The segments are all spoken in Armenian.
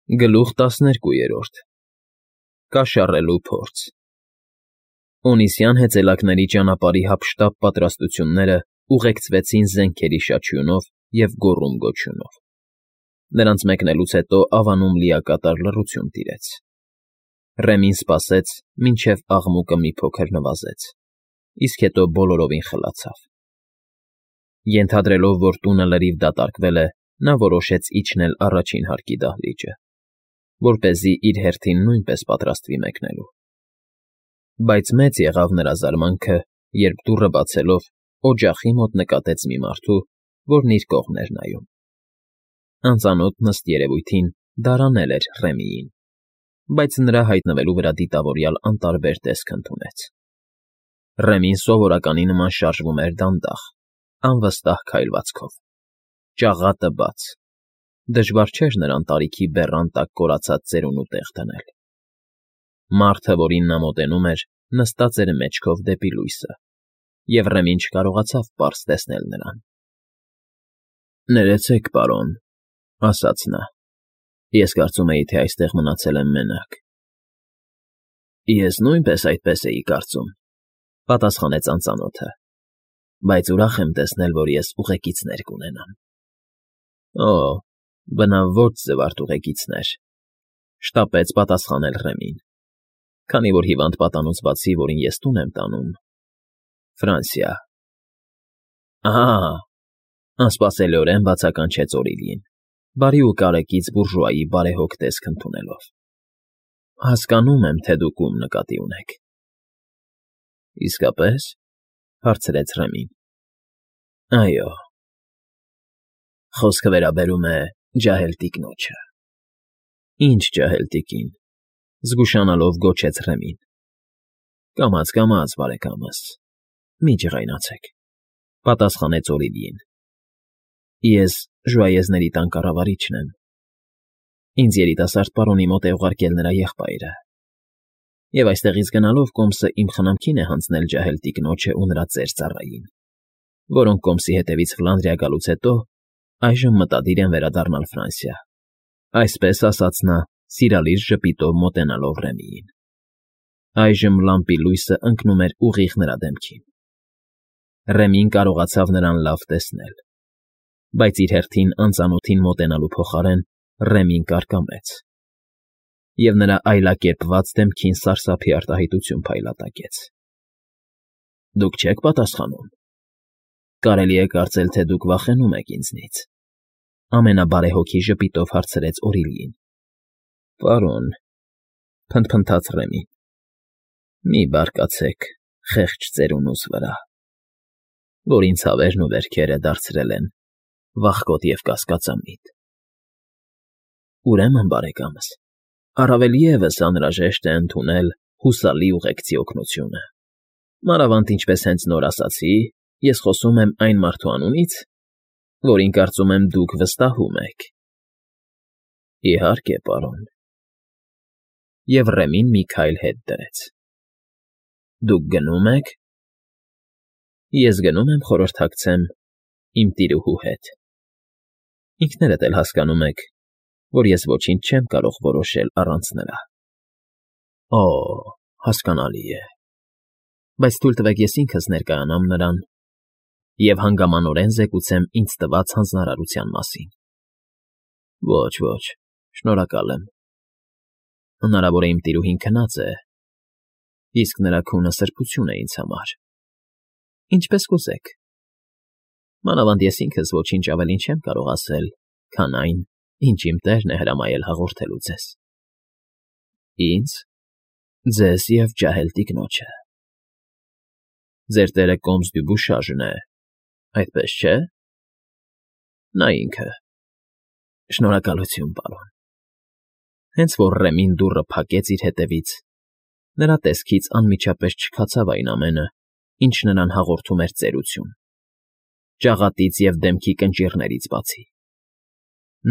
Գլուխ 12 Կաշառելու փորձ Օնիսյան հեծելակների ճանապարհի հափշտապ պատրաստությունները ուղեկցվեցին զենքերի շաչյունով և գոռում֊գոչյունով. նրանց մեկնելուց հետո ավանում լիակատար լռություն տիրեց. Ռեմին սպասեց, մինչև աղմուկը մի փոքր նվազեց, իսկ հետո բոլորովին խլացավ. Ենթադրելով, որ տունը լրիվ դատարկվել է, նա որոշեց իջնել առաջին հարկի դահլիճը, որպեսզի իր հերթին նույնպես պատրաստվի մեկնելու. Բայց մեծ եղավ նրա զարմանքը, երբ դուռը բացելով, օջախի մոտ նկատեց մի մարդու, որն իր կողմն էր նայում. անծանոթն ըստ երևույթին դարանել էր Ռեմիին, բայց նրա հայտնվելու վրա դիտավորյալ անտարբեր տեսք ընդունեց. Ռեմին սովորականի նման շարժվում էր դանդաղ, անվստահ քայլվածքով, ճաղատը բաց. դժվար չէր նրան տարիքի բեռան տակ կորացած ծերունու տեղ դնել. Մարդը, որին նա մոտենում էր, նստած էր մեջքով դեպի լույսը, և Ռեմին չկարողացավ պարզ տեսնել նրան. «Ներեցեք, պարոն», ասաց նա, «ես կարծում էի, թե այստեղ մնացել եմ մենակ»։ «Ես նույնպես այդպես էի կարծում», պատասխանեց անծանոթը, «բայց ուրախ եմ տեսնել, որ ես ուղեկիցներ կունենամ»։ «Օ, բնավ ոչ զվարթ ուղեկիցներ», շտապեց պատասխանել Ռեմին, «քանի որ հիվանդ պատանուց բացի, որին ես տուն եմ տանում, Ֆրանսիա»։ «Ահա», անսպասելիորեն բացականչեց Օրիլին, բարի ու կարեկից բուրժուայի բարեհոգ տեսք ընդունելով, «հասկանում եմ, թե դուք ում նկատի ունեք»։ «Իսկապես», հարցրեց Ռեմին, «այո»։ «Խոսքը վերաբերում է ջահել տիկնոջը»։ «Ինչ ջահել տիկին», զգուշանալով գոչեց Ռեմին։ «Կամաց, կամաց, բարեկամս, մի ջղայնացեք», պատասխանեց Օրիլին։ «Ես ժուայեզների տան կառավարիչն եմ։ Ինձ երիտասարդ պարոնի մոտ է ուղարկել նրա եղբայրը, և այստեղից գնալով կոմսը իմ խնամքին է հանձնել ջահել տիկնոջը ու նրա ծեր ծառային, որոնք կոմսի հետևից Ֆլանդրիա գալուց հետո այժմ մտադիր են վերադառնալ Ֆրանսիա», այսպես ասաց նա, սիրալիր ժպիտով մոտենալով Ռեմիին։ Այժմ լամպի լույսը ընկնում էր ուղիղ նրա դեմքին. Ռեմին կարողացավ նրան լավ տեսնել, բայց իր հերթին անծանոթին մոտենալու փոխարեն Ռեմին կարկամեց, և նրա այլակերպված դեմքին սարսափի արտահայտություն փայլատակեց։ «Դուք չեք պատասխանում։ Կարելի է կարծել, թե դուք վախենում եք ինձնից», ամենաբարեհոգի ժպիտով հարցրեց Օրիլին։ «Պարոն», փնթփնթաց Ռեմին, «մի բարկացեք խեղճ ծերունուս վրա, որին ցավերն ու վերքերը դարձրել են վախկոտ և կասկածամիտ։ Ուրեմն, բարեկամս, առավել ևս անհրաժեշտ է ընդունել հուսալի ուղեկցի օգնությունը, մանավանդ ինչպես հենց նոր ասացի, ես խոսում եմ այն մարդու անունից, որին կարծում եմ դուք վստահում եք»։ «Իհարկե, պարոն»։ Եվ Ռեմին մի քայլ հետ դրեց։ «Դուք գնում եք»։ «Ես գնում եմ խորհրդակցեմ իմ տիրուհու հետ։ Ինքներդ էլ հասկանում եք, որ ես ոչինչ չեմ կարող որոշել առանց նրա»։ «Օ, հասկանալի է, բայց թույլ տվեք ես ինքս ներկայանամ նրան և հանգամանորեն զեկուցեմ ինձ տված հանձնարարության մասին»։ «Ոչ, ոչ, շնորհակալ եմ։ Հնարավոր է իմ տիրուհին քնած է, իսկ նրա քունը սրբություն է ինձ համար։ Ինչպես կուզեք։ Մանավանդ ես ինքս ոչինչ ավելին չեմ կարող ասել, քան այն, ինչ իմ տերն է հրամայել հաղորդելու ձեզ»։ «Ինձ, ձեզ և ջահել տիկնոջը։ Ձեր տերը կոմս Դյուբուշաժն է, այդպես չէ՞։ Նա ինքը։ Շնորհակալություն, պարոն»։ Հենց որ Ռեմին դուռը փակեց իր հետևից, նրա տեսքից անմիջապես չքացավ այն ամենը, ինչ նրան հաղորդում էր ծերություն, ճաղատից և դեմքի կնճիռներից բացի։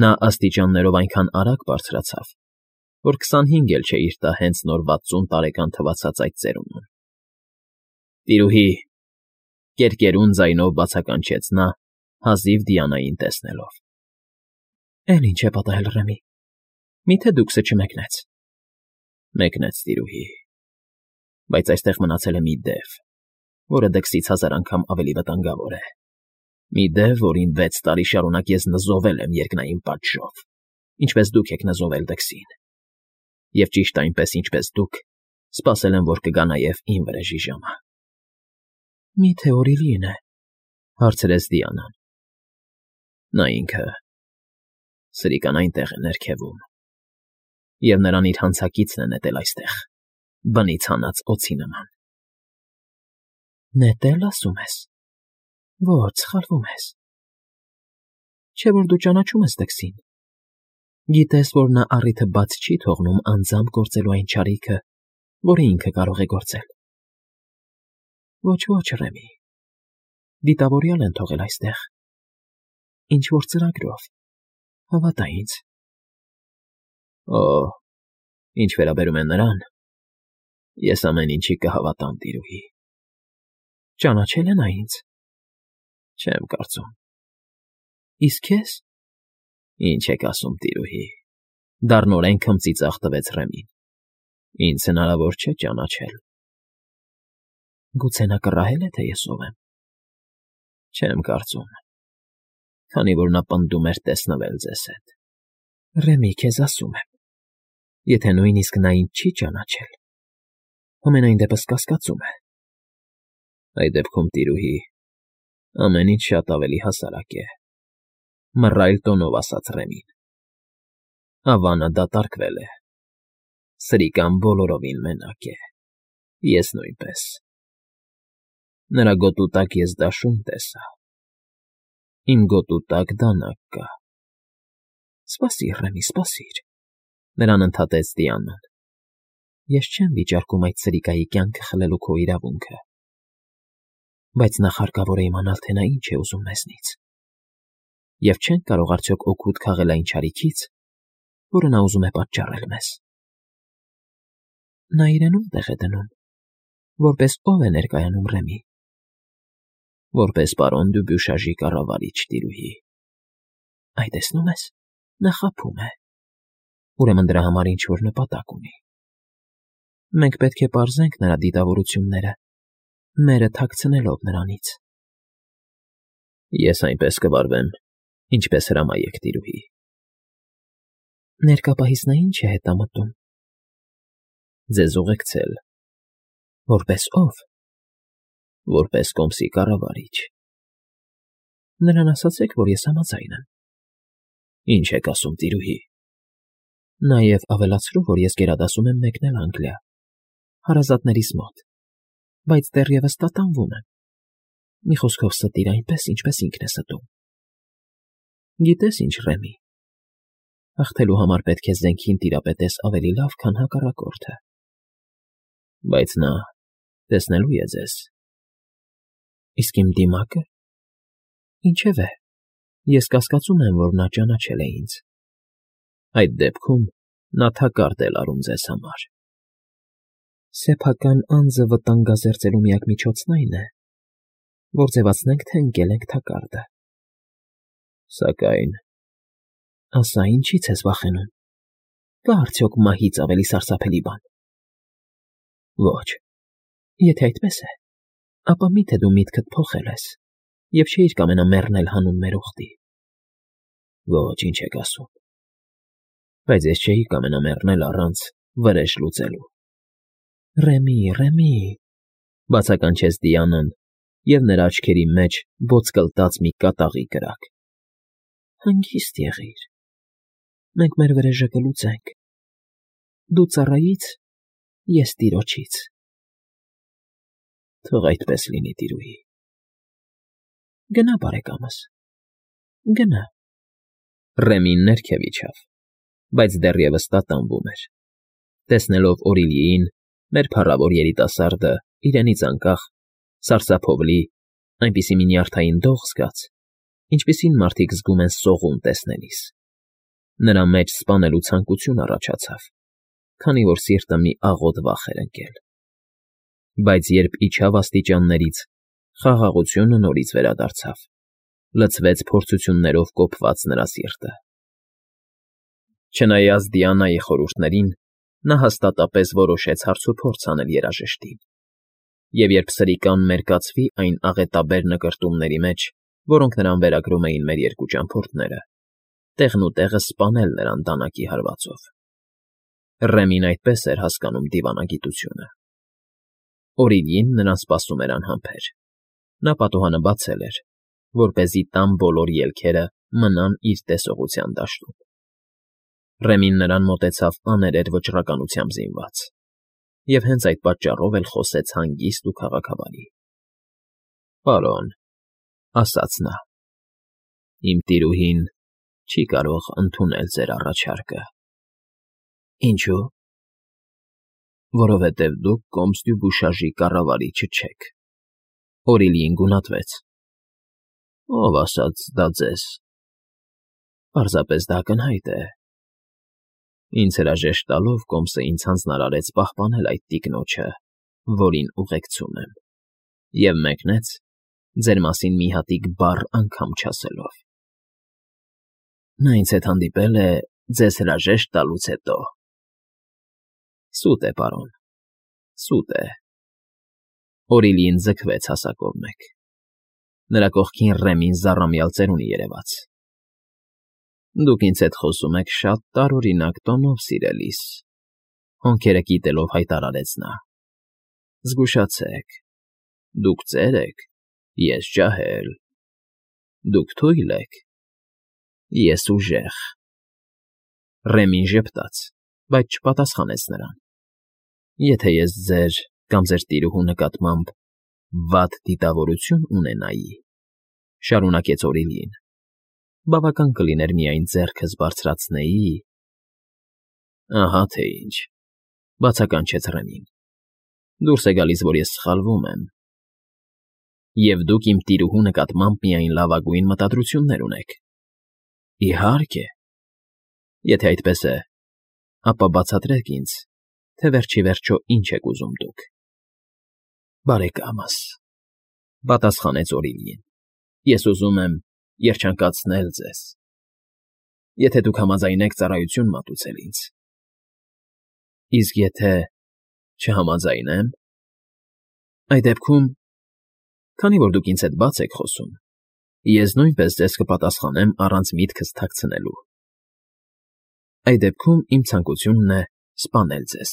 Նա աստիճաններով այնքան արագ բարձրացավ, որ 25 էլ չէ իր տա հենց նոր 60 տարեկան թվացած այդ ծերունուն։ «Տիրուհի», կերկերուն ձայնով բացականչեց նա, հազիվ Դիանային տեսնելով։ «Էլ ինչ է պատահել, Ռեմի, Միթե դուքսը չմեկնեց։ Մեկնեց, տիրուհի, բայց այստեղ մնացել է մի դև, որը դքսից 1000 անգամ ավելի վտանգավոր է։ Մի դև, որին 6 տարի շարունակ ես նզովել եմ երկնային պատժով, ինչպես դուք եք նզովել դքսին։ Եվ ճիշտ այնպես, ինչպես դուք, սպասել եմ, որ կգա նաև իմ վրեժի ժամը։ Միթե Օրիլին է, հարցրեց Դիանան։ Նա ինքը սրիկան այնտեղ է ներքևում, և նրան իր հանցակիցն է նետել այստեղ, բնից հանած օձի նման։ Նետել, ասում ես։ Ոչ, սխալվում ես։ Չէ՞ որ դու ճանաչում ես դքսին։ Գիտես, որ նա առիթը բաց չի թողնում անձամբ գործելու այն չարիքը, որը ինքը կարող է գործել։ Ոչ, Ռեմի, դիտավորյալ են թողել այստեղ։ Ինչ-որ ծրագրով, հավատա ինձ։ Օ, ինչ վերաբերում է նրան, ես ամեն ինչի կհավատամ, տիրուհի։ Ճանաչել է նա ինձ։ Չեմ կարծում։ Իսկ քեզ։ Ինչ եք ասում, տիրուհի, դառնորեն քմծիծաղ տվեց Ռեմին։ Ինձ հնարավոր չէ ճանաչել։ Գուցե նա կռահել է, թե ես ով եմ։ Չեմ կարծում, քանի որ նա պնդում էր տեսնվել ձեզ հետ։ Ռեմի, քեզ ասում եմ, եթե նույնիսկ նա ինձ չի ճանաչել, ամենայն դեպս կասկածում է։ Այդ դեպքում, տիրուհի, ամեն ինչ շատ ավելի հասարակ է, մռայլ տոնով ասաց Ռեմին։ Ավանը դատարկվել է։ Սրիկան բոլորովին մենակ է, ես նույնպես։ Նրա գոտու տակ ես դաշույն տեսա։ Իմ գոտու տակ դանակ կա։ Սպասիր, Ռեմի, սպասիր, նրան ընդհատեց Դիանան։ Ես չեմ վիճարկում այդ սրիկայի կյանքը խլելու քո իրավունքը։ Բայց նախ հարկավոր է իմանալ, թե նա ինչ է ուզում մեզնից։ Եվ չենք կարող արդյոք օգուտ քաղել այն չարիքից, որը նա ուզում է պատճառել մեզ։ Նա իրեն ո՞ւմ է դնում, որպես ով է ներկայանում Ռեմի։ Որպես պարոն Դյուբյուշաժի կառավարիչ, տիրուհի։ Այ տեսնում ես, նա խաբում է։ Ուրեմն դրա համար ինչ-որ նպատակ ունի։ Մենք պետք է պարզենք նրա դիտավորությունները, մերը թաքցնելով նրանից։ Ես այնպես կվարվեմ, ինչպես հրամայեք, տիրուհի։ Ներկա պահից նա ինչ է հետամտում։ Ձեզ ուղեկցել։ Որպես ով։ Որպես կոմսի կառավարիչ։ Նրան ասացեք, որ ես համաձայն եմ։ Ինչ եք ասում, տիրուհի։ Նաև ավելացրու, որ ես գերադասում եմ մեկնել Անգլիա, հարազատներիս մոտ, բայց դեռևս տատանվում եմ։ Մի խոսքով ստիր այնպես, ինչպես ինքն է ստում։ Գիտես ինչ, Ռեմի, հաղթելու համար պետք է զենքին տիրապետես ավելի լավ, քան հակառակորդը։ Բայց նա տեսնելու է ձեզ։ Իսկ իմ դիմակը։ Ինչևէ, ես կասկածում եմ, որ նա ճանաչել է ինձ։ Այդ դեպքում նա թակարդ է լարում ձեզ համար։ Սեփական անձը վտանգազերծելու միակ միջոցն այն է, որ ձևացնենք, թե ընկել ենք թակարդը։ Սակայն… Ասա, ինչի՞ց ես վախենում։ Կա արդյոք մահից ավելի սարսափելի բան։ Ոչ, եթե այդպես է, ապա մի՞թե դու միտքդ փոխել ես և չէիր կամենա մեռնել հանուն մեր ուխտի։ Ոչ, ինչ եք ասում։ Բայց ես չէի կամենա մեռնել առանց վրեժ լուծելու։ Ռեմի, բացականչեց Դիանան, և նրա աչքերի մեջ բոց կլտած մի կատաղի կրակ։ Հանգիստ եղիր։ Մենք մեր վրեժը կլուծենք։ Դու ծառայից, ես տիրոջից։ Թող այդպես լինի, տիրուհի։ Գնա, բարեկամս, գնա։ Ռեմին ներքև իջավ, բայց դեռևս տատանվում էր։ Տեսնելով Օրիլիին, մեր փառավոր երիտասարդը իրենից անկախ, սարսափով լի, այնպիսի մի նյարդային դող զգաց, ինչպիսին մարդիկ զգում են սողուն տեսնելիս։ Նրա մեջ սպանելու ցանկություն առաջացավ, քանի որ սիրտը մի աղոտ վախ էր ընկել։ Բայց երբ իջավ աստիճաններից, խաղաղությունը նորից վերադարձավ, լցվեց փորձություններով կոփված նրա սիրտը։ Չնայած Դիանայի խորհուրդներին, նա հաստատապես որոշեց հարցուփորձ անել երաժշտին, և երբ սրիկան մերկացվի այն աղետաբեր նկրտումների մեջ, որոնք նրան վերագրում էին մեր երկու ճամփորդները, տեղնուտեղը սպանել նրան դանակի հարվածով։ Ռեմին այդպես էր հասկանում դիվանագիտությունը։ Օրիլին նրան սպասում էր անհամբեր։ Նա պատուհանը բացել էր, որպեսզի տան բոլոր ելքերը մնան իր տեսողության դաշտում։ Ռեմին նրան մոտեցավ աներևի վճռականությամբ զինված, և հենց այդ պատճառով էլ խոսեց հանգիստ ու քաղաքավարի։ ֊ Պարոն,֊ ասաց նա,֊ իմ տիրուհին չի կարող ընդունել ձեր առաջարկը։ ֊ Ինչո՞ւ։ ֊ Որովհետև դուք Կոմստյուբուշաժի կառավարիչը չեք։ Օրիլիին գունատվեց։ ֊ Ո՞վ ասաց դա ձեզ։ ֊ Պարզապես դա ակնհայտ է։ Ինձ հրաժեշտ տալով Կոմսը ինձ հանձնարարեց պահպանել այդ տիկնոջը, որին ուղեկցում եմ, և մեկնեց ձեր մասին մի հատիկ բառ անգամ չասելով։ Նա ինձ հետ հանդիպել է ձեզ հրաժեշտ տալուց հետո։ ֊ Սուտ է, պարոն, սուտ է։ Օրիլիին ձգվեց հասակով մեկ։ Նրա կողքին Ռեմին զառամյալ ծերունի երևաց։ ֊ Դուք ինձ հետ խոսում եք շատ տարօրինակ տոնով, սիրելիս,֊ հոնքերը կիտելով հայտարարեց նա։ ֊ Զգուշացեք, դուք ծեր եք, ես ջահել, դուք թույլ եք, ես ուժեղ։ Ռեմին ժպտաց, բայց չպատասխանեց նրան։ ֊ Եթե ես ձեր կամ ձեր տիրուհու նկատմամբ վատ դիտավորություն ունենայի,֊ շարունակեց Օրիլին,֊ բավական կլիներ միայն ձեռքս բարձրացնեի… Ահա թե ինչ,֊ բացականչեց Ռեմին,֊ դուրս է գալիս, որ ես սխալվում եմ։ Եվ դուք իմ տիրուհու նկատմամբ միայն լավագույն մտադրություններ ունեք։ ֊ Իհարկե։ ֊ Եթե այդպես է, ապա բացատրեք ինձ, թե վերջ ի վերջո ինչ եք ուզում դուք։ ֊ Բարեկամս,֊ պատասխանեց Օրիլին,֊ ես ուզում եմ երջանկացնել ձեզ, եթե դուք համաձայնեք ծառայություն մատուցել ինձ։ ֊ Իսկ եթե չհամաձայնեմ։ ֊ Այդ դեպքում, քանի որ դուք ինձ հետ բաց եք խոսում, ես նույնպես ձեզ կպատասխանեմ առանց միտքս թաքցնելու։ Այդ դեպքում իմ ցանկությունն է սպանել ձեզ։